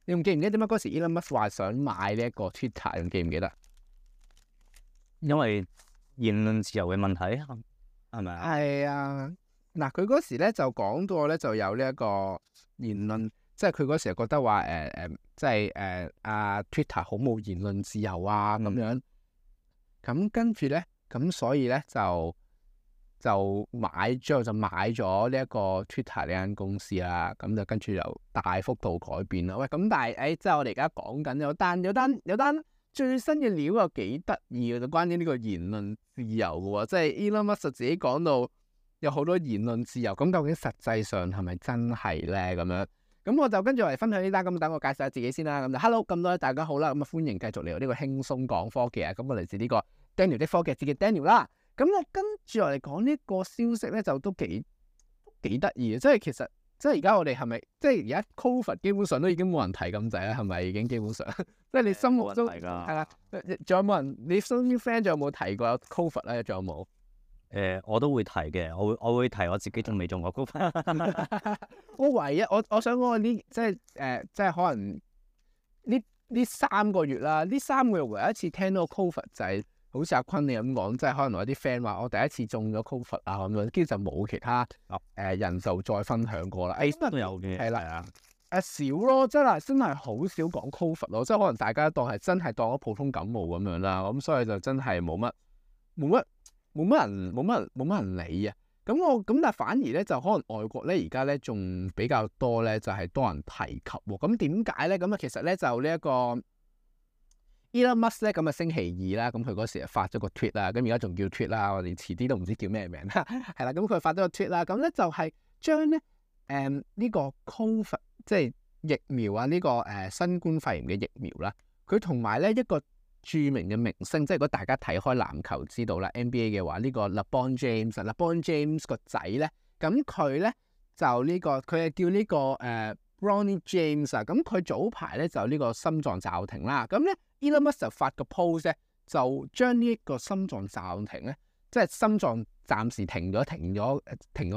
你仲記唔記得點解嗰時 Elon Musk 話想買呢一個 Twitter？ 仲記唔記得？因為言論自由嘅問題係咪啊？係啊，嗱，佢嗰時咧就講到咧就有呢一個言論，即係佢嗰時覺得話即係Twitter 好冇言論自由啊咁樣。咁跟住咧，咁所以咧就最後就買咗呢一個 Twitter 呢間公司啦。咁就跟住又大幅度改變啦。喂，咁但係即係我哋而家講緊有單最新嘅料又幾得意嘅，就關於呢個言論自由嘅喎。即係 Elon Musk 自己講到有好多言論自由，咁究竟實際上係咪真係咧？咁樣，咁我就跟住嚟分享呢單。咁等我介紹下自己先啦。咁就 Hello，咁多位大家好啦。咁歡迎繼續嚟到呢個輕鬆講科技啊。咁我嚟自呢個 Daniel 的科技節嘅 Daniel 啦。咁咧跟住落嚟講呢個消息咧，就都幾得意嘅。即係其實即係而家我哋係咪即係而家 COVID 基本上都已經冇人提咁滯啦？係咪已經基本上？即係你心目中係啦，仲有冇人？你身邊 friend 仲有冇提過有 COVID 咧？仲有冇？我都會提嘅，我會提我自己仲未中過 COVID。我唯一我想講呢，即係可能呢3個月啦，呢3個月唯一一次聽到 COVID 就係好似阿坤你咁講，即係可能我啲 friend 話我第一次中咗 COVID 啊咁樣，跟住就冇其他人就再分享過啦。都有嘅，係啦。少咯，真係好少講 COVID 咯，即係可能大家當係真係當咗普通感冒咁樣啦，咁所以就真係冇乜人理啊。咁但係反而咧就可能外國咧而家咧仲比較多咧，就係多人提及喎。咁點解咧？咁其實咧就呢一個 Elon Musk 咧，咁星期二啦，咁佢嗰時發咗個 tweet 啦，咁而家仲叫 tweet 啦，我哋遲啲都唔知叫咩名啦，係啦，咁佢發咗個 tweet 啦，咁咧就係將咧呢個 COVID 即係疫苗啊，呢個新冠肺炎嘅疫苗啦，佢同埋咧一個著名嘅明星，即係如果大家睇開籃球知道啦 NBA 嘅話，呢個 LeBron James 個仔咧，咁佢咧就呢個佢係叫呢個Bronny James 啊，咁佢早排咧就呢個心臟驟停啦，咁咧 Elon Musk 就發個 post 咧，就將呢一個心臟驟停咧，即係心臟暫時停咗，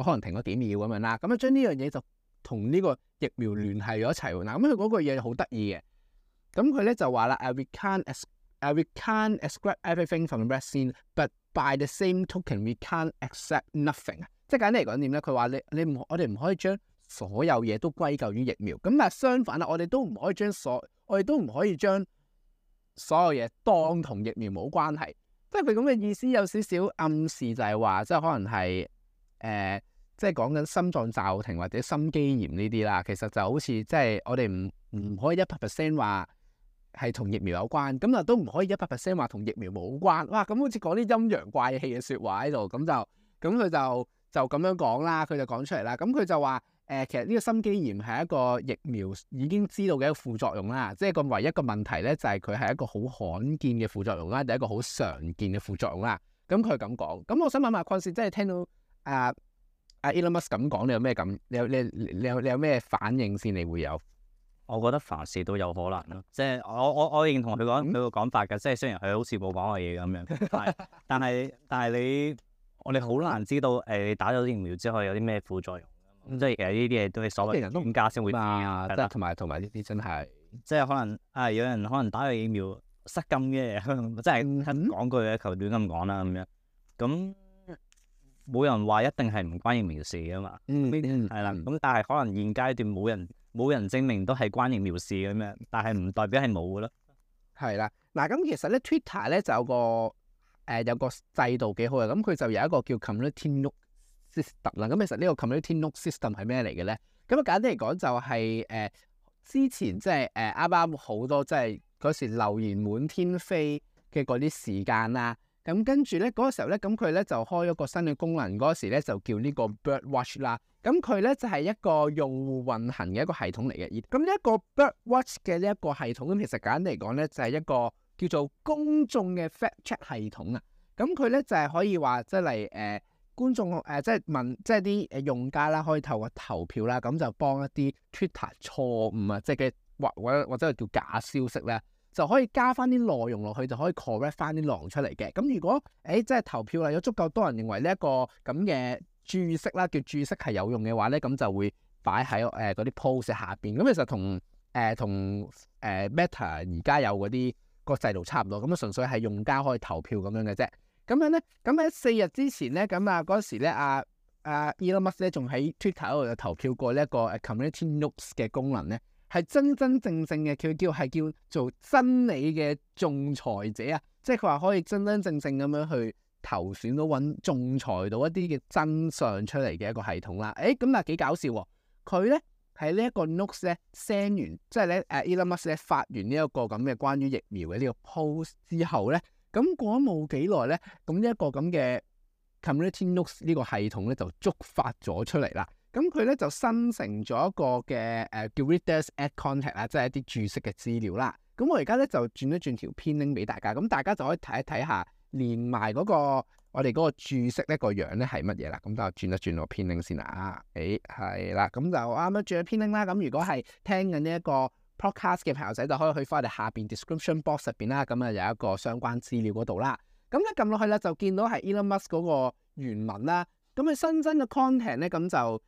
可能停咗幾秒咁樣啦，咁啊將呢樣嘢就同呢個疫苗聯繫咗一齊喎。嗱，咁佢嗰個嘢好得意嘅，咁佢咧就話啦，we can't ascribe everything from the vaccine, but by the same token, we can't accept nothing。即係簡單嚟講點咧？佢話我哋唔可以將所有嘢都歸咎於疫苗，咁但係相反啦，我哋都唔可以將所有嘢當同疫苗冇關係。即係佢咁嘅意思有少少暗示就係話，即係可能係即係講緊心臟驟停或者心肌炎呢啲啦。其實就好似即係我哋唔可以100% 話係同疫苗有關，咁啊都唔可以100% 話同疫苗冇關。哇！咁好似講啲陰陽怪氣嘅説話喺度，咁佢就咁樣講啦，佢就講出嚟啦。咁佢就話其實呢個心肌炎係一個疫苗已經知道嘅一個副作用啦，即係個唯一個問題咧就係佢係一個好罕見嘅副作用啦，第一個好常見嘅副作用啦。咁佢咁講，咁我想問下鄺士，即係聽到Elon Musk 咁講，你有咩咁？你有咩反應先？你會有？我覺得凡事都有可能咯，即係我認同佢個講法嘅，即係雖然佢好似冇講過嘢咁樣，但係我哋好難知道你打咗疫苗之後有啲咩副作用。即係其實呢啲嘢都係所謂專家先會知啊，即係同埋呢啲真係，即係可能有人可能打咗疫苗失禁嘅，即係講句嘅球短咁講啦咁樣，咁冇人話一定係唔關疫苗事噶嘛，係啦，咁但係可能現階段冇人證明都係關疫苗事咁樣，但係唔代表係冇噶咯。係啦，嗱咁其實咧 Twitter 咧就有個制度幾好嘅，咁佢就有一個叫 Community Note System 啦。咁其實呢個 Community Note System 係咩嚟嘅咧？咁簡單嚟講就係之前即係啱啱好多即係嗰時留言滿天飛嘅嗰啲時間啦。咁跟住咧嗰個時候咧，咁佢咧就開咗個新嘅功能，嗰時咧就叫呢個 Birdwatch 啦。咁佢咧就係一個用戶運行嘅一個系統嚟嘅。咁呢一個 Birdwatch 嘅呢一個系統，咁其實簡單嚟講咧就係一個叫做公眾嘅 fact check 系統啊。咁佢咧就係可以話即係嚟觀眾即係問即係啲用家啦，可以透過投票啦，咁就幫一啲 Twitter 錯誤啊，即係嘅或者叫假消息咧，就可以加翻啲內容落去，就可以 correct 翻啲內容出嚟嘅。咁如果即係投票啦，有足夠多人認為呢一個咁嘅注釋啦，叫注釋係有用嘅話咧，咁就會擺喺嗰啲 post 下邊。咁其實同同Meta 而家有嗰啲個制度差唔多，咁啊純粹係用家可以投票咁樣嘅啫。咁樣咧，咁喺4日之前咧，咁啊嗰時咧Elon Musk 咧仲喺 Twitter 度投票過呢一個Community Notes 嘅功能咧，係真正嘅佢叫做真理嘅仲裁者啊，即係佢話可以真正咁樣去投選到仲裁到一啲嘅真相出嚟嘅一個系統啦。咁啊幾搞笑喎！佢咧喺呢一個 Notes 咧 send 完，即係咧Elon Musk 咧發完呢一個咁嘅關於疫苗嘅呢個 post 之後咧，咁過咗冇幾耐咧，咁呢一個咁嘅 Community Notes 呢個系統咧就觸發咗出嚟啦。咁佢咧就生成咗一個嘅叫 Reader's Add Content 啊，即係一啲注釋嘅資料啦。咁我而家咧就轉一轉條編 link 俾大家，咁大家就可以睇一睇下，連埋嗰個我哋嗰個注釋呢個樣咧係乜嘢啦。咁就轉一轉個編 link 先啦。係啦，咁就啱啱轉咗編 link啦。咁如果係聽緊呢一個 podcast 嘅朋友仔，就可以去翻我哋下邊 description box 入邊啦。咁啊有一個相關資料嗰度啦。咁一撳落去咧，就見到係 Elon Musk 嗰個原文啦。咁佢新增嘅 content 咧，咁就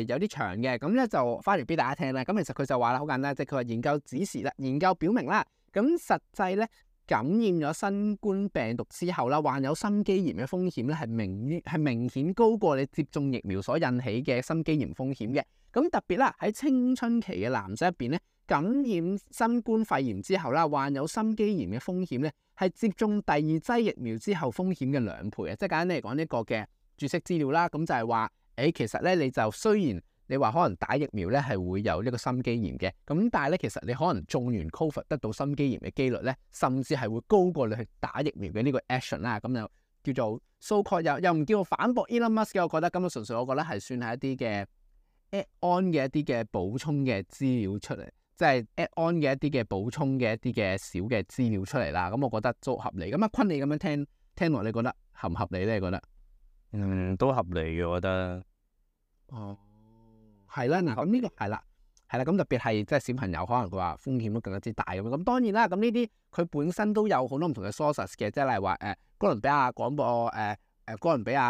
有啲長嘅，咁咧就翻嚟俾大家聽啦。咁其實佢就話啦，好簡單，即係佢話研究指示啦，研究表明啦，咁實際咧感染咗新冠病毒之後啦，患有心肌炎嘅風險咧係明顯高過你接種疫苗所引起嘅心肌炎風險嘅。咁特別啦，喺青春期嘅男仔入邊咧，感染新冠肺炎之後啦，患有心肌炎嘅風險咧係接種第2劑疫苗之後風險嘅2倍啊！即係簡單嚟講呢個嘅注釋資料啦，咁就係話。其實咧你就雖然你話可能打疫苗咧係會有呢個心肌炎嘅，咁但係咧其實你可能中完 COVID 得到心肌炎嘅機率咧，甚至係會高過你去打疫苗嘅呢個 action 啦。咁就叫做 so called 又唔叫做反駁 Elon Musk 嘅，我覺得咁啊純粹我覺得係算係一啲嘅 add on 嘅一啲嘅補充嘅資料出嚟，即係 add on 嘅一啲嘅補充嘅一啲嘅小嘅資料出嚟啦。咁我覺得都合理。咁坤你咁樣聽落，你覺得合唔合理咧？你覺得？都合理嘅，我覺得。係啦，嗱，咁呢個係啦，咁特別係即係小朋友，可能佢話風險都更加之大咁樣。咁當然啦，咁呢啲佢本身都有好多唔同嘅 sources 嘅，即係例如話哥倫比亞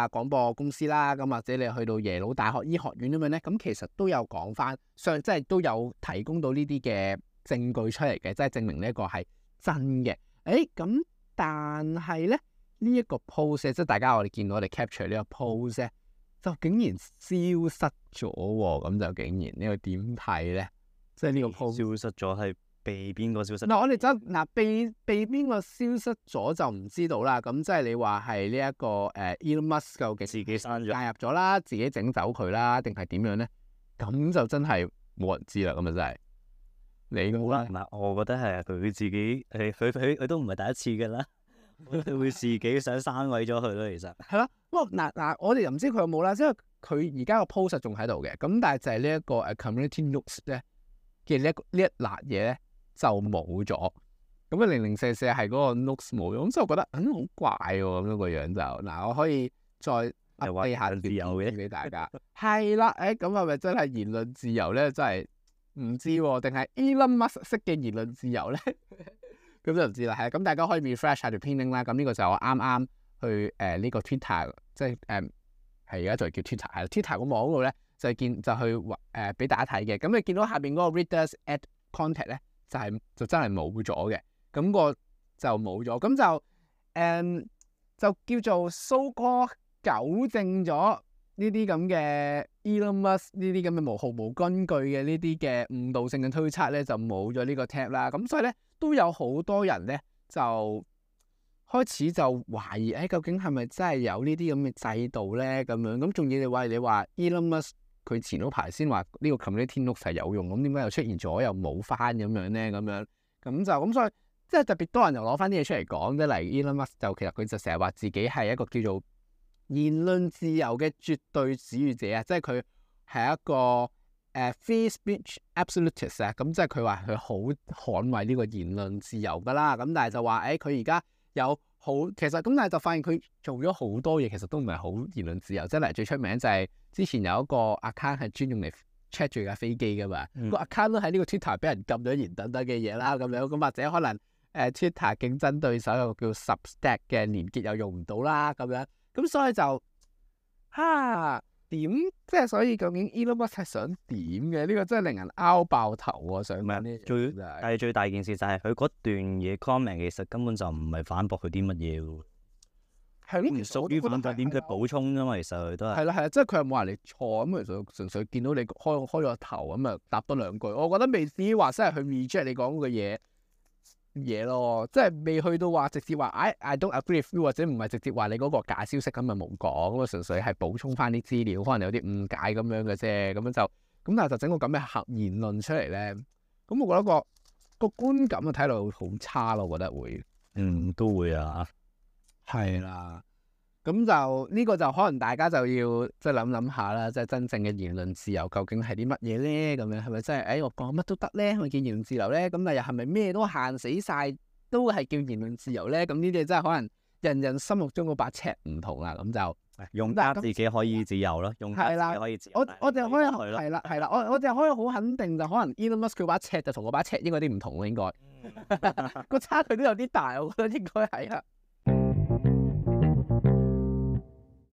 廣播公司啦，咁或者你去到耶魯大學醫學院咁樣咧，咁其實都有講翻，即係都有提供到呢啲嘅證據出嚟嘅，即係證明呢一個係真嘅。咁但係咧呢一個 post 即係大家我哋見到我哋 capture 呢個 post 咧。就竟然消失咗喎，咁就竟然呢個點睇咧？即係呢個 post 消失咗係被邊個消失？嗱，我哋被邊個消失咗就唔知道啦。咁即係你話係呢一個Elon Musk 究竟自己刪咗、介入咗啦，自己整走佢啦，定係點樣咧？咁就真係冇人知啦。咁啊真係你好啦，嗱，我覺得係佢自己，佢都唔係第一次㗎啦。佢會自己想刪毀咗佢咯，其實係咯。不過嗱，我哋又唔知佢有冇啦，因為佢而家個 post 仲喺度嘅。咁但係就係呢一個Community Notes 咧嘅呢一辣嘢咧就冇咗。咁啊004係嗰個 Notes 冇咗，咁所以我覺得好怪喎咁樣個樣就嗱，我可以再 update 下自由嘅俾大家。係啦，咁係咪真係言論自由咧？真係唔知喎，定係 Elon Musk 式嘅言論自由咧？咁就唔知啦，係咁大家可以 refresh 下條 pin link 啦。咁呢個就我啱啱去呢個 Twitter，即係係而家就叫 Twitter，係 Twitter 個網嗰度咧就去俾大家睇嘅。咁你見到下邊嗰個 Reader's Add Content 咧就真係冇咗嘅，咁個就冇咗，咁就叫做 so called 糾正咗呢啲咁嘅 Elon Musk 呢啲咁嘅毫無根據嘅呢啲嘅誤導性嘅推測咧，就冇咗呢個 tab 啦。咁所以咧都有好多人咧就開始就懷疑，究竟係咪真係有呢啲咁嘅制度咧？咁樣咁仲要你話 Elon Musk 佢前嗰排先話呢個 Community Notes 係有用，咁點解又出現咗又冇翻咁樣咧？咁所以即係特別多人又攞翻啲嘢出嚟講，即係例如 Elon Musk 就其實佢就成日話自己係一個叫做言論自由嘅絕對主義者啊，即係佢係一個free speech absolutist 啊，咁即係佢話佢好捍衞呢個言論自由噶啦，咁但係就話佢而家有其實咁，但係就發現佢做咗好多嘢，其實都唔係好言論自由。即係嚟最出名就係之前有一個 account 係專用嚟 check 住架飛機噶嘛，個 account 都喺呢個 Twitter 俾人禁咗言等等嘅嘢啦，咁樣咁或者可能Twitter 競爭對手有個叫 Substack 嘅連結又用唔到啦，咁樣咁所以就點即係所以究竟 Elon Musk 係想點嘅？呢個真係令人拗爆頭喎！想問呢但係最大件事就係佢嗰段嘢 comment 其實根本就唔係反駁佢啲乜嘢喎。係咯，唔屬於反駁點，佢補充啫嘛。其實佢都係係啦，即係佢又冇話你錯咁，其實純粹見到你開咗頭咁啊，答多兩句。我覺得未至於話真係去 reject 你講嘅嘢咯，即係未去到話直接話I don't agree with you，或者唔係直接話你嗰個假消息咁啊冇講，咁啊純粹係補充翻啲資料，可能有啲誤解咁樣嘅啫，咁樣就咁，但係就整個咁嘅言論出嚟咧，咁我覺得個觀感啊睇落好差咯，我覺得會，都會啊，係啦。咁就呢個就可能大家就要即係諗下啦，即係真正嘅言論自由究竟係啲乜嘢咧？咁樣係咪真係我講乜都得咧？係咪叫言論自由咧？咁但又係咪咩都限死晒都係叫言論自由咧？咁呢啲真係可能人人心目中嗰把尺唔同啦。咁就用家自己可以自由咯，用家自己可以自由。我哋可以係啦，我哋可以好肯定就可能 Elon Musk 佢把尺就同我把尺應該啲唔同咯，應該個差距都有啲大，我覺得應該係啊。